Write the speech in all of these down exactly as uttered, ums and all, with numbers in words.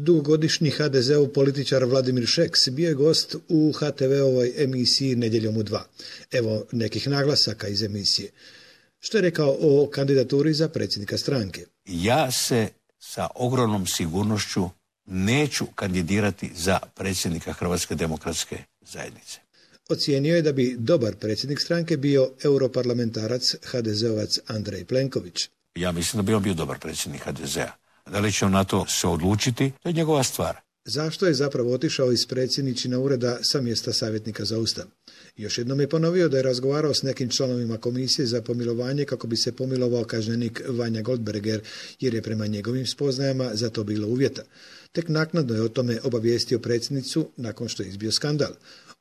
Dugogodišnji ha de zeov političar Vladimir Šeks bio je gost u ha te ve-ovoj emisiji Nedjeljom u dva. Evo nekih naglasaka iz emisije. Što je rekao o kandidaturi za predsjednika stranke? Ja se sa ogromnom sigurnošću neću kandidirati za predsjednika Hrvatske demokratske zajednice. Ocijenio je da bi dobar predsjednik stranke bio europarlamentarac ha de zeovac Andrej Plenković. Ja mislim da bi on bio dobar predsjednik ha de zea. Da li će on na to se odlučiti, to je njegova stvar. Zašto je zapravo otišao iz predsjedničina ureda sa mjesta savjetnika za Ustav? Još jednom je ponovio da je razgovarao s nekim članovima komisije za pomilovanje kako bi se pomilovao kažnjenik Vanja Goldberger, jer je prema njegovim spoznajama za to bilo uvjeta. Tek naknadno je o tome obavijestio predsjednicu nakon što je izbio skandal.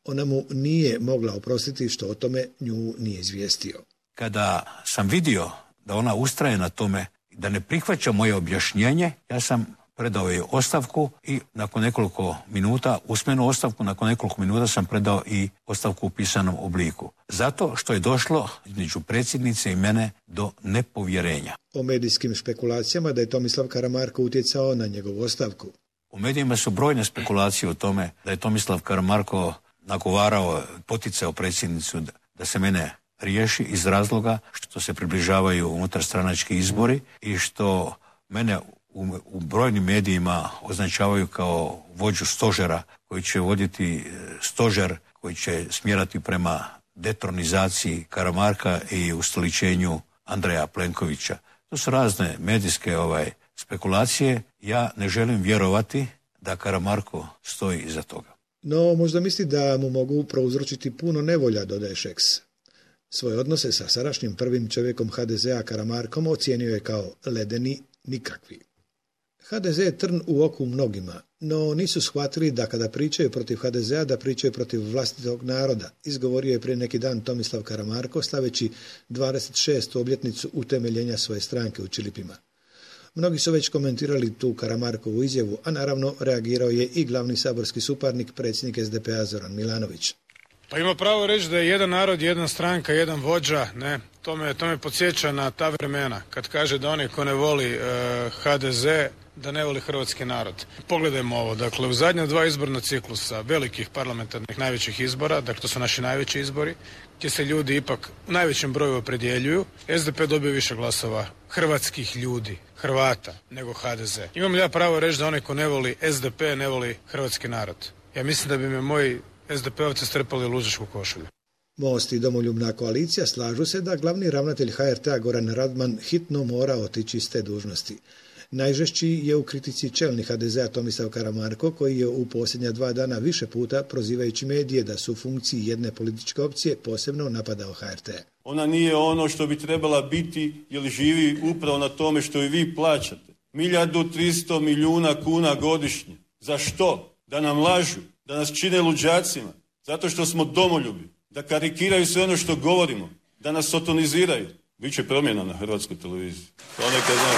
Ona mu nije mogla oprostiti što o tome nju nije izvijestio. Kada sam vidio da ona ustraje na tome da ne prihvaća moje objašnjenje, ja sam predao joj ostavku i nakon nekoliko minuta, usmenu ostavku, nakon nekoliko minuta sam predao i ostavku u pisanom obliku. Zato što je došlo između predsjednice i mene do nepovjerenja. O medijskim špekulacijama da je Tomislav Karamarko utjecao na njegovu ostavku. U medijima su brojne spekulacije o tome da je Tomislav Karamarko nagovarao, poticao predsjednicu da se mene riješi iz razloga što se približavaju unutarstranački izbori i što mene u, u brojnim medijima označavaju kao vođu stožera koji će voditi stožer koji će smjerati prema detronizaciji Karamarka i ustoličenju Andreja Plenkovića. To su razne medijske ovaj, spekulacije. Ja ne želim vjerovati da Karamarko stoji iza toga. No, možda misli da mu mogu prouzročiti puno nevolja, dodaje Šeks. Svoje odnose sa sadašnjim prvim čovjekom ha de zea Karamarkom ocijenio je kao ledeni, nikakvi. ha de ze je trn u oku mnogima, no nisu shvatili da kada pričaju protiv ha de zea da pričaju protiv vlastitog naroda, izgovorio je prije neki dan Tomislav Karamarko slaveći dvadeset šestu obljetnicu utemeljenja svoje stranke u Čilipima. Mnogi su već komentirali tu Karamarkovu izjavu, a naravno reagirao je i glavni saborski suparnik, predsjednik es de pe-a Zoran Milanović. Pa ima pravo reći da je jedan narod, jedna stranka, jedan vođa, ne, to me, to me podsjeća na ta vremena, kad kaže da onaj ko ne voli e, ha de ze, da ne voli hrvatski narod. Pogledajmo ovo, dakle u zadnja dva izborna ciklusa velikih parlamentarnih najvećih izbora, dakle to su naši najveći izbori, gdje se ljudi ipak u najvećem broju opredjeljuju, es de pe dobio više glasova hrvatskih ljudi, Hrvata, nego ha de ze. Imam li ja pravo reći da onaj ko ne voli es de pe ne voli hrvatski narod? Ja mislim da bi me moji es de pe-ovci strpali u luđačku košulju. Most i Domoljubna koalicija slažu se da glavni ravnatelj ha er te-a Goran Radman hitno mora otići iz te dužnosti. Najžešći je u kritici čelni ha de zea Tomislav Karamarko, koji je u posljednja dva dana više puta, prozivajući medije da su u funkciji jedne političke opcije, posebno napadao ha er te. Ona nije ono što bi trebala biti jer živi upravo na tome što i vi plaćate. Milijardu tristo milijuna kuna godišnje. Za što? Da nam lažu, da nas čine luđacima, zato što smo domoljubi, da karikiraju sve ono što govorimo, da nas sotoniziraju. Biće promjena na Hrvatskoj televiziji. To neka znam.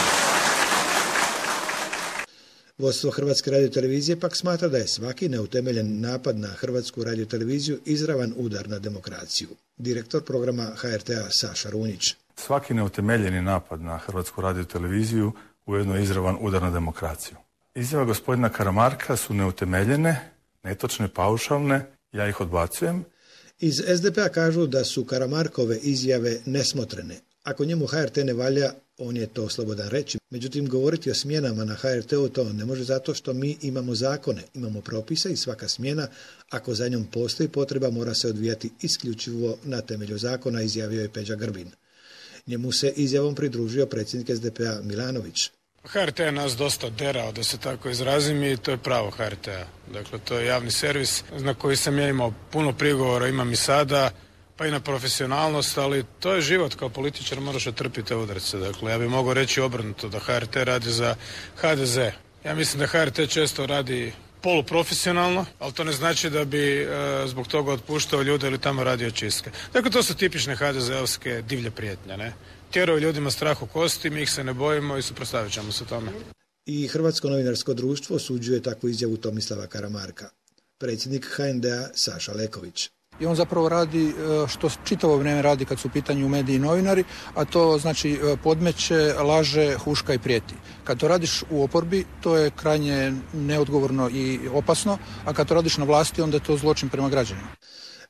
Vodstvo Hrvatske radiotelevizije pak smatra da je svaki neutemeljen napad na Hrvatsku radioteleviziju izravan udar na demokraciju. Direktor programa ha er te-a Saša Runjić. Svaki neutemeljeni napad na Hrvatsku radioteleviziju ujedno je izravan udar na demokraciju. Izjava gospodina Karamarka su neutemeljene, netočne, paušalne, ja ih odbacujem. Iz es de pe-a kažu da su Karamarkove izjave nesmotrene. Ako njemu ha er te ne valja, on je to slobodan reći. Međutim, govoriti o smjenama na ha er te-u to ne može zato što mi imamo zakone, imamo propise i svaka smjena, ako za njom postoji potreba, mora se odvijati isključivo na temelju zakona, izjavio je Peđa Grbin. Njemu se izjavom pridružio predsjednik es de pe-a Milanović. ha er te je nas dosta derao, da se tako izrazim, i to je pravo ha er te-a. Dakle, to je javni servis na koji sam ja imao puno prigovora, imam i sada, pa i na profesionalnost, ali to je život, kao političar moraš otrpiti te udarce. Dakle, ja bih mogao reći obrnuto, da ha er te radi za ha de ze. Ja mislim da ha er te često radi poluprofesionalno, ali to ne znači da bi e, zbog toga otpuštao ljude ili tamo radio čistke. Dakle, to su tipične ha de ze-ovske divlje prijetnje, ne? Tjeraju ljudima strah u kosti, mi ih se ne bojimo i suprotstavit ćemo se tome. I Hrvatsko novinarsko društvo osuđuje takvu izjavu Tomislava Karamarka. Predsjednik ha en de-a Saša Leković. I on zapravo radi što čitavo vrijeme radi kad su u pitanju mediji i novinari, a to znači podmeće, laže, huška i prijeti. Kad to radiš u oporbi, to je krajnje neodgovorno i opasno, a kad to radiš na vlasti, onda je to zločin prema građanima.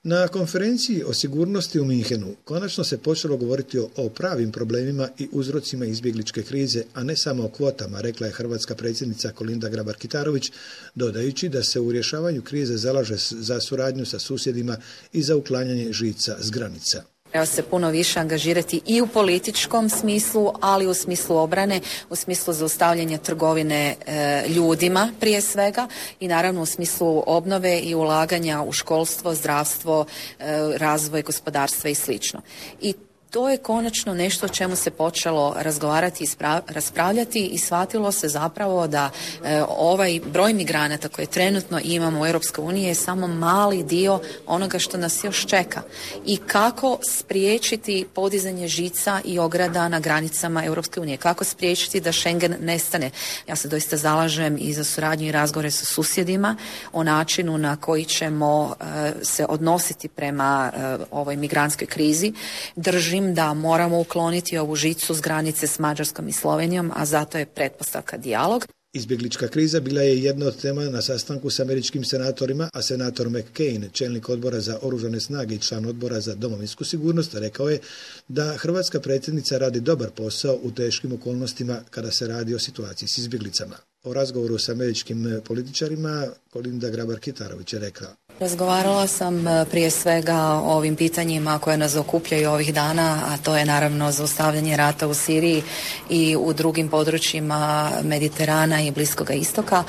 Na konferenciji o sigurnosti u Minhenu konačno se počelo govoriti o, o pravim problemima i uzrocima izbjegličke krize, a ne samo o kvotama, rekla je hrvatska predsjednica Kolinda Grabar-Kitarović, dodajući da se u rješavanju krize zalaže za suradnju sa susjedima i za uklanjanje žica s granica. Treba se puno više angažirati i u političkom smislu, ali u smislu obrane, u smislu zaustavljanja trgovine e, ljudima prije svega i naravno u smislu obnove i ulaganja u školstvo, zdravstvo, e, razvoj gospodarstva i slično. I to je konačno nešto o čemu se počelo razgovarati i raspravljati i shvatilo se zapravo da e, ovaj broj migranata koje trenutno imamo u Europskoj uniji je samo mali dio onoga što nas još čeka. I kako spriječiti podizanje žica i ograda na granicama Europske unije, kako spriječiti da Schengen nestane. Ja se doista zalažem i za suradnju i razgovore sa susjedima o načinu na koji ćemo e, se odnositi prema e, ovoj migrantskoj krizi. Držim da moramo ukloniti ovu žicu s granice s Mađarskom i Slovenijom, a zato je pretpostavka dijalog. Izbjeglička kriza bila je jedna od tema na sastanku s američkim senatorima, a senator McCain, čelnik odbora za oružane snage i član odbora za domovinsku sigurnost, rekao je da hrvatska predsjednica radi dobar posao u teškim okolnostima kada se radi o situaciji s izbjeglicama. O razgovoru s američkim političarima Kolinda Grabar-Kitarović je rekla: Razgovarala sam prije svega o ovim pitanjima koje nas okupljaju ovih dana, a to je naravno zaustavljanje rata u Siriji i u drugim područjima Mediterana i Bliskoga istoka,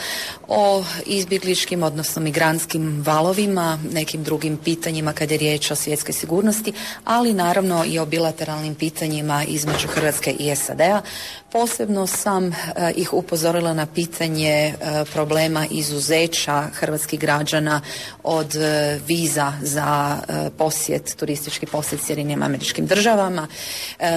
o izbjegličkim, odnosno migrantskim valovima, nekim drugim pitanjima kad je riječ o svjetskoj sigurnosti, ali naravno i o bilateralnim pitanjima između Hrvatske i S A D-a. Posebno sam ih upozorila na pitanje problema izuzeća hrvatskih građana od viza za posjet, turistički posjet Sjedinjenim Američkim Državama.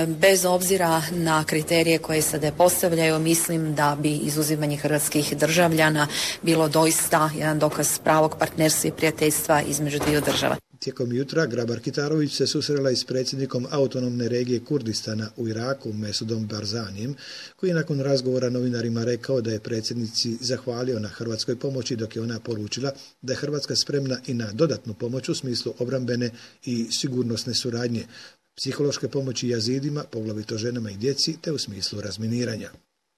Bez obzira na kriterije koje S A D postavljaju, mislim da bi izuzimanje hrvatskih državljana bilo doista jedan dokaz pravog partnerstva i prijateljstva između dviju država. Tijekom jutra Grabar-Kitarović se susrela i s predsjednikom autonomne regije Kurdistana u Iraku, Mesudom Barzanijem, koji je nakon razgovora novinarima rekao da je predsjednici zahvalio na hrvatskoj pomoći, dok je ona poručila da je Hrvatska spremna i na dodatnu pomoć u smislu obrambene i sigurnosne suradnje, psihološke pomoći jazidima, poglavito ženama i djeci, te u smislu razminiranja.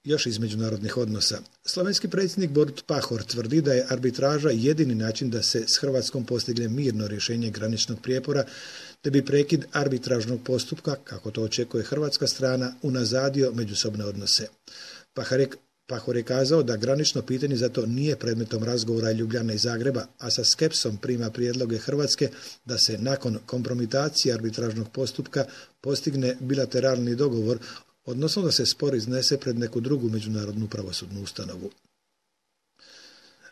Još iz međunarodnih odnosa. Slovenski predsjednik Borut Pahor tvrdi da je arbitraža jedini način da se s Hrvatskom postigne mirno rješenje graničnog prijepora, te bi prekid arbitražnog postupka, kako to očekuje hrvatska strana, unazadio međusobne odnose. Pahor je, Pahor je kazao da granično pitanje zato nije predmetom razgovora Ljubljane i Zagreba, a sa skepsom prima prijedloge Hrvatske da se nakon kompromitacije arbitražnog postupka postigne bilateralni dogovor, odnosno da se spor iznese pred neku drugu međunarodnu pravosudnu ustanovu.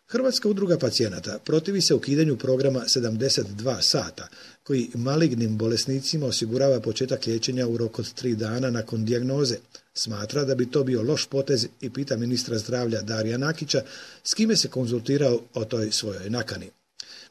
Hrvatska udruga pacijenata protivi se ukidanju programa sedamdeset dva sata, koji malignim bolesnicima osigurava početak liječenja u roku od tri dana nakon dijagnoze. Smatra da bi to bio loš potez i pita ministra zdravlja Darija Nakića, s kime se konzultirao o toj svojoj nakani.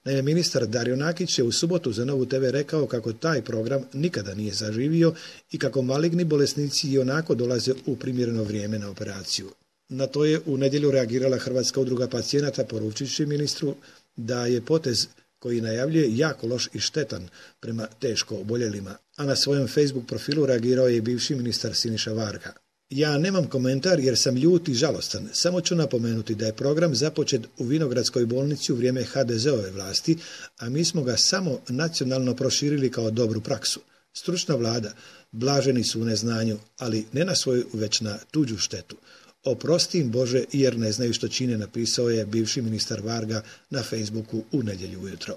Naime, ministar Dario Nakić je u subotu za Novu te ve rekao kako taj program nikada nije zaživio i kako maligni bolesnici i onako dolaze u primjereno vrijeme na operaciju. Na to je u nedjelju reagirala Hrvatska udruga pacijenata, poručujući ministru da je potez koji najavljuje jako loš i štetan prema teško oboljelima, a na svojem Facebook profilu reagirao je i bivši ministar Siniša Varga. Ja nemam komentar jer sam ljut i žalostan, samo ću napomenuti da je program započet u Vinogradskoj bolnici u vrijeme ha de ze-ove vlasti, a mi smo ga samo nacionalno proširili kao dobru praksu. Stručna vlada, blaženi su u neznanju, ali ne na svoju, već na tuđu štetu. Oprosti im Bože jer ne znaju što čine, napisao je bivši ministar Varga na Facebooku u nedjelju ujutro.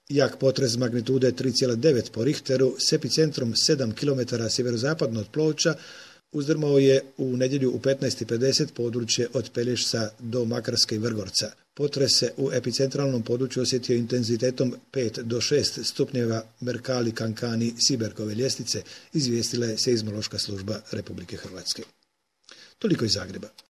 Jak potres magnitude tri zarez devet po Richteru s epicentrom sedam kilometara sjeverozapadno od Ploča uzdrmao je u nedjelju u petnaest i pedeset područje od Pelješca do Makarske i Vrgorca. Potres se u epicentralnom području osjetio intenzitetom pet do šest stupnjeva Mercalli Cancani Siberkove ljestvice, izvijestila je Seizmološka služba Republike Hrvatske. Toliko iz Zagreba.